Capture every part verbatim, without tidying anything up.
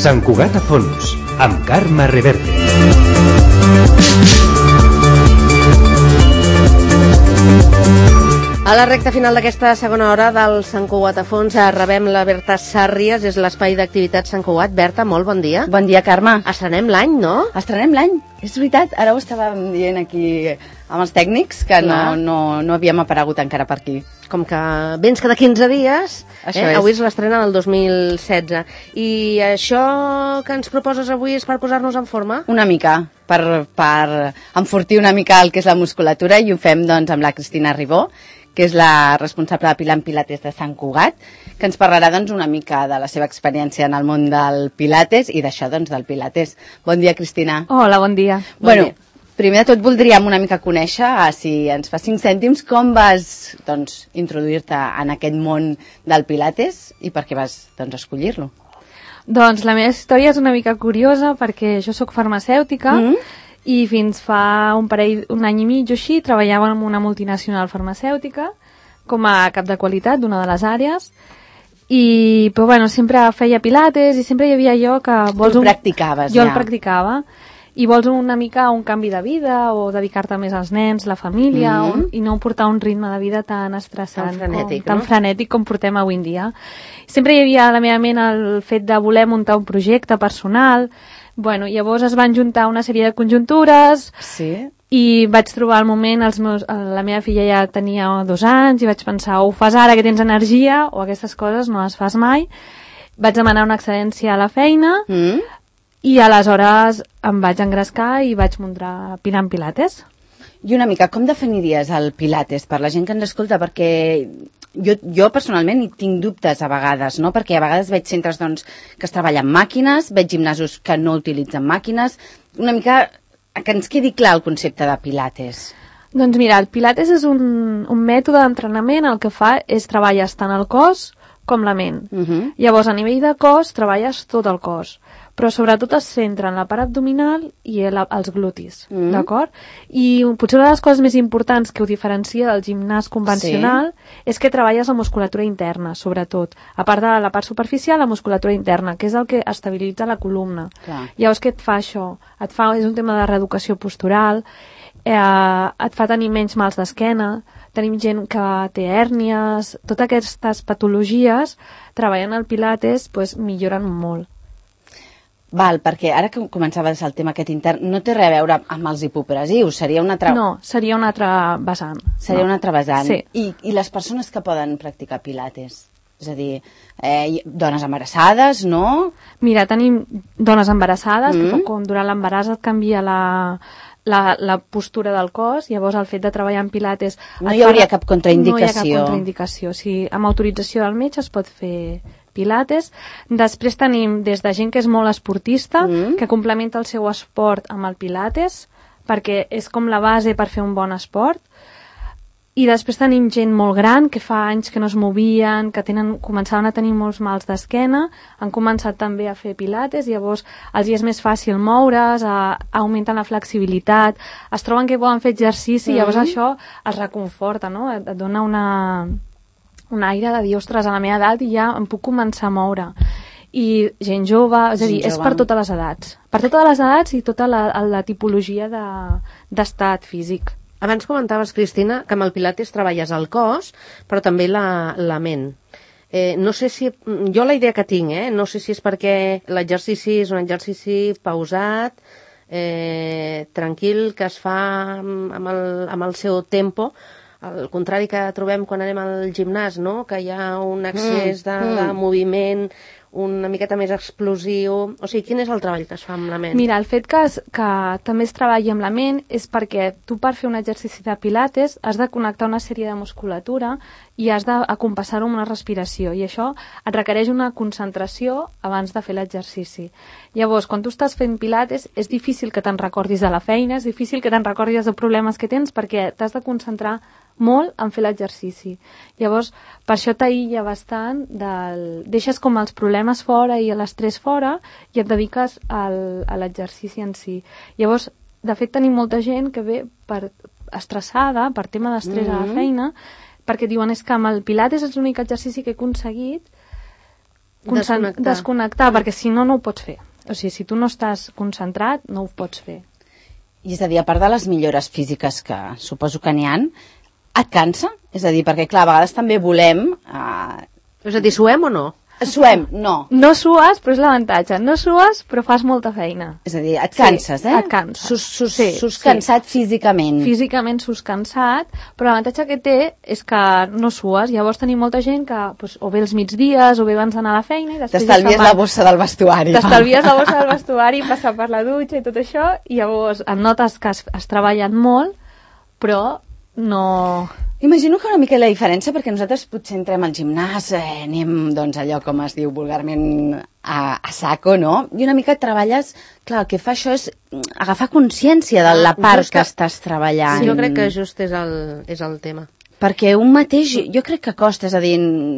Sant Cugat a fons, amb Carme Reverte. A la recta final d'aquesta segona hora del Sant Cugat a fons rebem la Berta Sàrries, és l'espai d'activitat Sant Cugat. Berta, molt bon dia. Bon dia, Carme. Estrenem l'any, no? Estrenem l'any, és veritat. Ara ho estàvem dient aquí amb els tècnics, que no, no, no havíem aparegut encara per aquí. Com que vens cada quinze dies, això eh? és. Avui és l'estrena del dos mil setze. I això que ens proposes avui és per posar-nos en forma? Una mica, per, per enfortir una mica el que és la musculatura, i ho fem doncs amb la Cristina Ribó, que és la responsable de Pilar en Pilates de Sant Cugat, que ens parlarà doncs, una mica de la seva experiència en el món del Pilates i d'això doncs, del Pilates. Bon dia, Cristina. Hola, bon dia. Bueno, bon dia. Primer de tot voldríem una mica conèixer, si ens fa cinc cèntims, com vas doncs, introduir-te en aquest món del Pilates i per què vas doncs, escollir-lo. Doncs la meva història és una mica curiosa perquè jo sóc farmacèutica, mm-hmm. i fins fa un parell, un any i mig o així, treballava en una multinacional farmacèutica com a cap de qualitat d'una de les àrees, i però, bueno, sempre feia pilates i sempre hi havia jo que... Vols tu el un... practicaves, jo ja. el practicava, i vols una mica un canvi de vida o dedicar-te més als nens, la família, mm-hmm. un, i no portar un ritme de vida tan estressant, tan frenètic, com, tan no? frenètic com portem avui en dia. Sempre hi havia a la meva ment el fet de voler muntar un projecte personal. Bueno, llavors es van juntar una sèrie de conjuntures, sí. i vaig trobar el moment, els meus, la meva filla ja tenia dos anys, i vaig pensar, o ho fas ara que tens energia, o aquestes coses no les fas mai. Vaig demanar una excedència a la feina, Mm. i aleshores em vaig engrescar i vaig muntar Pilar en Pilates. I una mica, com definiries el Pilates per la gent que ens escolta? Perquè jo, jo personalment hi tinc dubtes a vegades, no? Perquè a vegades veig centres doncs, que es treballen amb màquines, veig gimnasos que no utilitzen màquines. Una mica que ens quedi clar el concepte de Pilates. Doncs mira, el Pilates és un, un mètode d'entrenament, el que fa és treballes tant el cos com la ment. Uh-huh. Llavors, a nivell de cos, treballes tot el cos, però sobretot es centra en la part abdominal i el, els glutis, mm. d'acord? I potser una de les coses més importants que ho diferencia del gimnàs convencional sí. és que treballes la musculatura interna, sobretot. A part de la part superficial, la musculatura interna, que és el que estabilitza la columna. Clar. Llavors, què et fa això? Et fa, és un tema de reeducació postural, eh, et fa tenir menys mals d'esquena, tenim gent que té hèrnies, totes aquestes patologies, treballant al Pilates, pues, milloren molt. Val, perquè ara que començaves el tema aquest intern, no té res a veure amb els hipopresius, seria un altre... No, seria un altre vessant. Seria no. un altre vessant. Sí. I, I les persones que poden practicar Pilates? És a dir, eh, dones embarassades, no? Mira, tenim dones embarassades, mm. que com durant l'embaràs et canvia la, la, la postura del cos, llavors el fet de treballar en Pilates... No hi hauria cap contraindicació. No hi ha cap contraindicació. O sigui, amb autorització del metge es pot fer Pilates. Després tenim des de gent que és molt esportista, mm. que complementa el seu esport amb el Pilates, perquè és com la base per fer un bon esport. I després tenim gent molt gran, que fa anys que no es movien, que tenen, començaven a tenir molts mals d'esquena, han començat també a fer Pilates, llavors els hi és més fàcil moure's, a, augmenten la flexibilitat, es troben que poden fer exercici, mm. llavors això els reconforta, no? Et, et dona una... un aire de dir, ostres, a la meva edat i ja em puc començar a moure. I gent jove, és a dir, és per totes les edats. Per totes les edats i tota la, la tipologia de, d'estat físic. Abans comentaves, Cristina, que amb el Pilates treballes el cos, però també la, la ment. Eh, no sé si... Jo la idea que tinc, eh? No sé si és perquè l'exercici és un exercici pausat, eh, tranquil, que es fa amb el, amb el seu tempo, al contrari que trobem quan anem al gimnàs, no? Que hi ha un excés de, mm, mm. de moviment, una miqueta més explosiu... O sigui, quin és el treball que es fa amb la ment? Mira, el fet que, es, que també es treballi amb la ment és perquè tu per fer un exercici de Pilates has de connectar una sèrie de musculatura i has d'acompassar-ho amb una respiració, i això et requereix una concentració abans de fer l'exercici. Llavors, quan tu estàs fent Pilates, és difícil que te'n recordis de la feina, és difícil que te'n recordis dels problemes que tens, perquè t'has de concentrar molt en fer l'exercici. Llavors, per això t'aïlla bastant, del... deixes com els problemes fora i l'estrès fora i et dediques al, a l'exercici en si. Llavors, de fet, tenim molta gent que ve per estressada, per tema d'estrès mm-hmm. a la feina, perquè diuen, és que amb el Pilates és l'únic exercici que he aconseguit concent- Desconnectar. desconnectar, perquè si no, no ho pots fer. O sigui, si tu no estàs concentrat, no ho pots fer. I és a dir, a part de les millores físiques que suposo que n'hi ha, et cansa? És a dir, perquè clar, a vegades també volem... Eh... És a dir, suem o no? Suem, no. No sues, però és l'avantatge. No sues, però fas molta feina. És a dir, et canses, sí, eh? et canses. Sus, sus, Sí, sus sí. cansat físicament. Físicament sus cansat, però l'avantatge que té és que no sues. Llavors tenim molta gent que doncs, o bé els migdies o bé abans d'anar a la feina i després... T'estalvies la bossa del vestuari. T'estalvies la bossa del vestuari, passar per la dutxa i tot això, i llavors et notes que has, has treballat molt, però no... Imagino que una mica la diferència, perquè nosaltres potser entrem al gimnàs, eh, anem, doncs, allò com es diu vulgarment a, a saco, no? I una mica treballes... Clar, el que fa això és agafar consciència de la part que, que estàs treballant. Sí, jo crec que just és el, és el tema. Perquè un mateix, jo crec que costa, és a dir,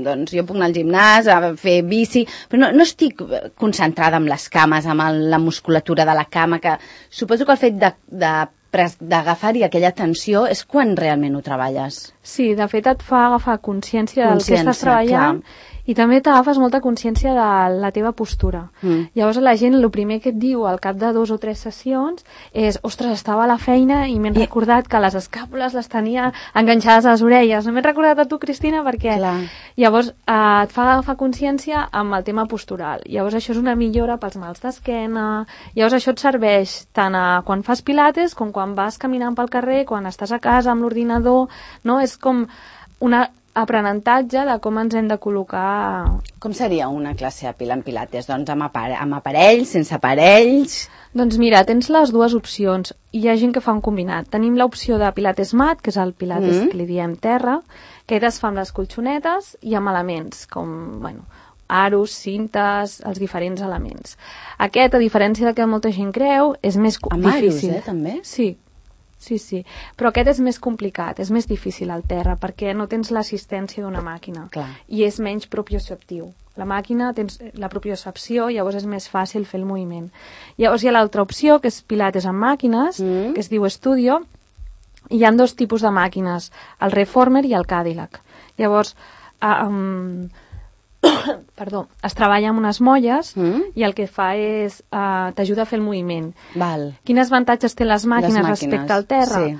doncs jo puc anar al gimnàs, a fer bici, però no, no estic concentrada amb les cames, amb el, la musculatura de la cama, que suposo que el fet de, de d'agafar-hi aquella tensió és quan realment ho treballes. Sí, de fet et fa agafar consciència del que estàs treballant, clar. I també t'agafes molta consciència de la teva postura. Mm. Llavors la gent el primer que et diu al cap de dos o tres sessions és, ostres, estava a la feina i m'he I... recordat que les escàpules les tenia enganxades a les orelles. No m'he recordat a tu, Cristina, perquè clar. Llavors eh, et fa agafar consciència amb el tema postural. Llavors això és una millora pels mals d'esquena. Llavors això et serveix tant a quan fas pilates com quan vas caminant pel carrer, quan estàs a casa amb l'ordinador, no? És com una aprenentatge de com ens hem de col·locar... Com seria una classe de pila en pilates? Doncs amb, apare amb aparells, sense aparells... Doncs mira, tens les dues opcions. Hi ha gent que fa un combinat. Tenim l'opció de pilates mat, que és el pilates mm. que li diem terra, que es fa amb les colxonetes i amb elements, com, bueno, aros, cintes, els diferents elements. Aquest, a diferència del que molta gent creu, és més amb difícil. Amb aros, eh, també? Sí. Sí, sí, però aquest és més complicat, és més difícil al terra, perquè no tens l'assistència d'una màquina. Clar. I és menys propioceptiu. La màquina tens la propiocepció, llavors és més fàcil fer el moviment. Llavors hi ha l'altra opció, que és pilates amb màquines, mm. que es diu Studio. Hi ha dos tipus de màquines, el Reformer i el Cadillac. Llavors, um, perdó, es treballa amb unes molles mm. i el que fa és uh, t'ajuda a fer el moviment. Val. Quins avantatges té les màquines, les màquines respecte al terra? Sí.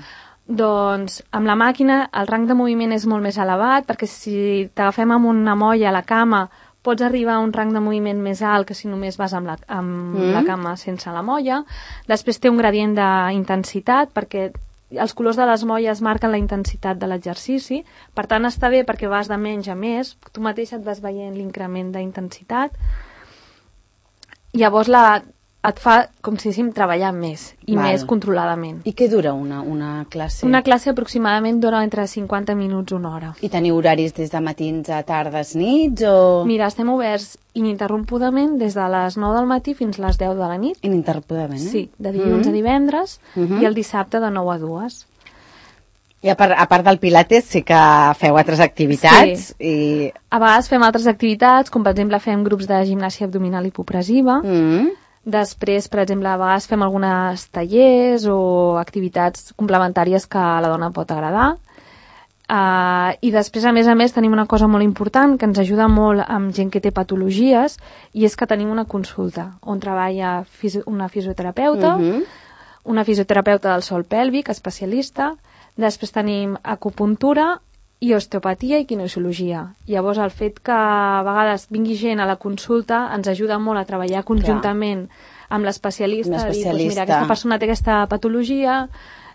Doncs amb la màquina el rang de moviment és molt més elevat, perquè si t'agafem amb una molla a la cama pots arribar a un rang de moviment més alt que si només vas amb la, amb mm. la cama sense la molla. Després té un gradient d'intensitat, perquè els colors de les molles marquen la intensitat de l'exercici, per tant està bé perquè vas de menys a més, tu mateix et vas veient l'increment d'intensitat. Llavors la, et fa, com si diguéssim, treballar més i Val. Més controladament. I què dura una, una classe? Una classe aproximadament dura entre cinquanta minuts i una hora. I teniu horaris des de matins a tardes, nits o...? Mira, estem oberts ininterrompudament des de les nou del matí fins a les deu de la nit. Ininterrompudament, eh? Sí, de dilluns mm-hmm. a divendres mm-hmm. i el dissabte de nou a dues. I a part, a part del pilates sí que feu altres activitats. Sí. I... A vegades fem altres activitats, com per exemple fem grups de gimnàsia abdominal hipopressiva. Mm. Després, per exemple, a vegades fem algunes tallers o activitats complementàries que a la dona pot agradar. Uh, I després, a més a més, tenim una cosa molt important que ens ajuda molt amb gent que té patologies, i és que tenim una consulta on treballa fisi una fisioterapeuta, mm-hmm. una fisioterapeuta del sòl pèlvic, especialista. Després tenim acupuntura i osteopatia i kinesiologia. Llavors, el fet que a vegades vingui gent a la consulta ens ajuda molt a treballar conjuntament Clar. Amb l'especialista. Dir, doncs mira, aquesta persona té aquesta patologia,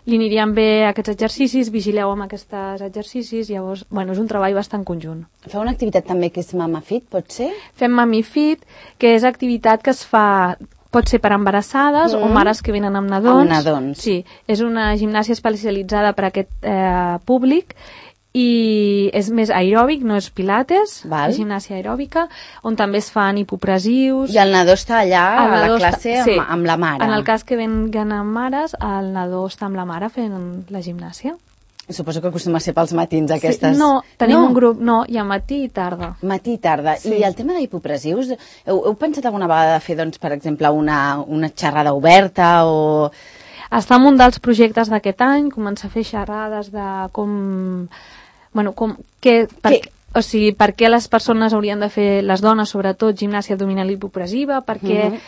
li anirien bé aquests exercicis, vigileu amb aquests exercicis, llavors, bueno, és un treball bastant conjunt. Feu una activitat també que és Mama Fit, pot ser? Fem Mami Fit, que és activitat que es fa... Pot ser per embarassades mm. o mares que venen amb nadons. Amb nadons. Sí, és una gimnàsia especialitzada per a aquest eh, públic i és més aeròbic, no és pilates, Val. És gimnàsia aeròbica, on també es fan hipopressius. I el nadó està allà a la classe està, sí, amb, amb la mare. En el cas que venguen amb mares, el nadó està amb la mare fent la gimnàsia. Suposo que acostuma a ser pels matins aquestes... Sí, no, tenim no. un grup, no, hi ha matí i tarda. Matí i tarda. Sí. I el tema d'hipopressius, heu, heu pensat alguna vegada de fer, doncs, per exemple, una, una xerrada oberta o... Està en un dels projectes d'aquest any, començar a fer xerrades de com... Bueno, com... Que, per... que, O sigui, per què les persones haurien de fer, les dones sobretot, gimnàsia abdominal hipopressiva, per què uh -huh.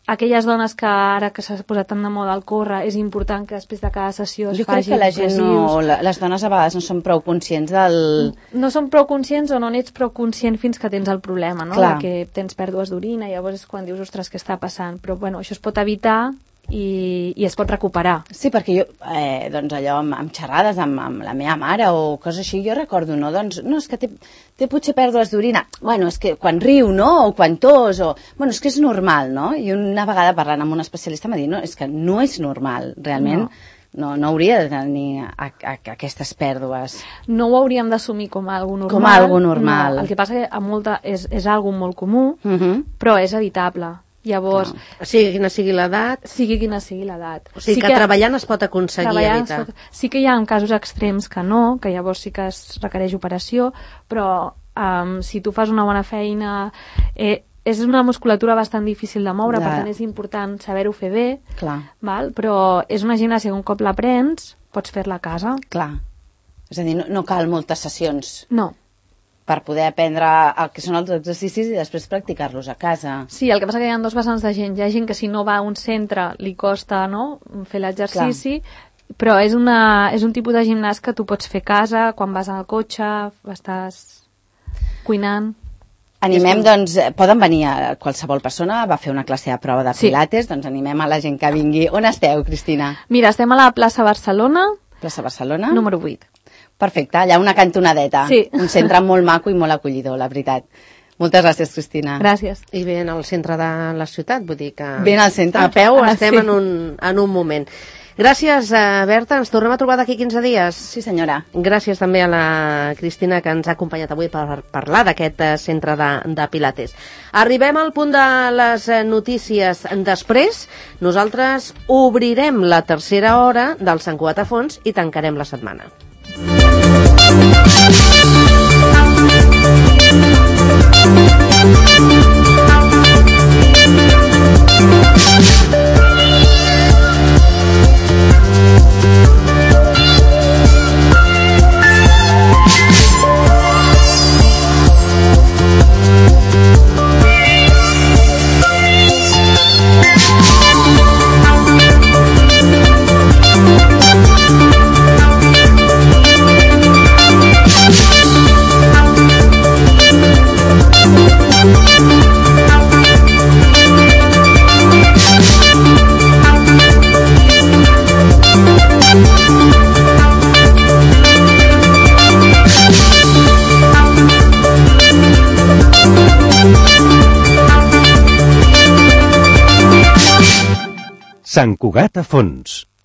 aquelles dones que ara que s'ha posat tant de moda el córrer, és important que després de cada sessió es jo faci crec que la gent no, les dones a vegades no són prou conscients del... No són prou conscients o no n'ets prou conscient fins que tens el problema, no? Clar. Que tens pèrdues d'orina, llavors és quan dius, ostres, què està passant? Però bueno, això es pot evitar i, i es pot recuperar. Sí, perquè jo, eh, doncs allò, amb, amb xerrades amb, amb la meva mare o coses així, jo recordo, no? Doncs, no, és que té, té potser pèrdues d'orina. Bueno, és que quan riu, no? O quan tos, o... Bueno, és que és normal, no? I una vegada parlant amb un especialista m'ha dit, no, és que no és normal, realment. No. No, no hauria de tenir a, a, a aquestes pèrdues. No ho hauríem d'assumir com a algo normal. Com a algo normal. No, el que passa que a molta, és, és algo molt comú, uh -huh. però és evitable. Llavors, no. sigui quina sigui l'edat, sigui quina sigui l'edat. O sigui sí que, que treballant es pot aconseguir evitar. Pot, sí que hi ha casos extrems que no, que llavors sí que es requereix operació, però um, si tu fas una bona feina, eh, és una musculatura bastant difícil de moure, Clar. per tant és important saber-ho fer bé, Clar. Val? Però és una gimnàsia que un cop l'aprens, pots fer-la a casa. Clar. És a dir, no, no cal moltes sessions. No. Per poder aprendre el que són els exercicis i després practicar-los a casa. Sí, el que passa que hi ha dos vessants de gent. Hi ha gent que si no va a un centre li costa, no?, fer l'exercici, però és, una, és un tipus de gimnàs que tu pots fer a casa, quan vas al cotxe, estàs cuinant... Animem, doncs, poden venir a qualsevol persona, va fer una classe de prova de pilates, sí. Doncs animem a la gent que vingui. On esteu, Cristina? Mira, estem a la plaça Barcelona. Plaça Barcelona? Número vuit. Perfecte, allà una cantonadeta. Sí. Un centre molt maco i molt acollidor, la veritat. Moltes gràcies, Cristina. Gràcies. I ben al centre de la ciutat, vull dir que... Ben al centre. A peu ah, estem sí. en, un, en un moment. Gràcies, uh, Berta. Ens tornem a trobar d'aquí quinze dies. Sí, senyora. Gràcies també a la Cristina, que ens ha acompanyat avui per parlar d'aquest uh, centre de, de Pilates. Arribem al punt de les uh, notícies. Després, nosaltres obrirem la tercera hora del Sant Cugat a fons i tancarem la setmana. Sant Cugat a fons.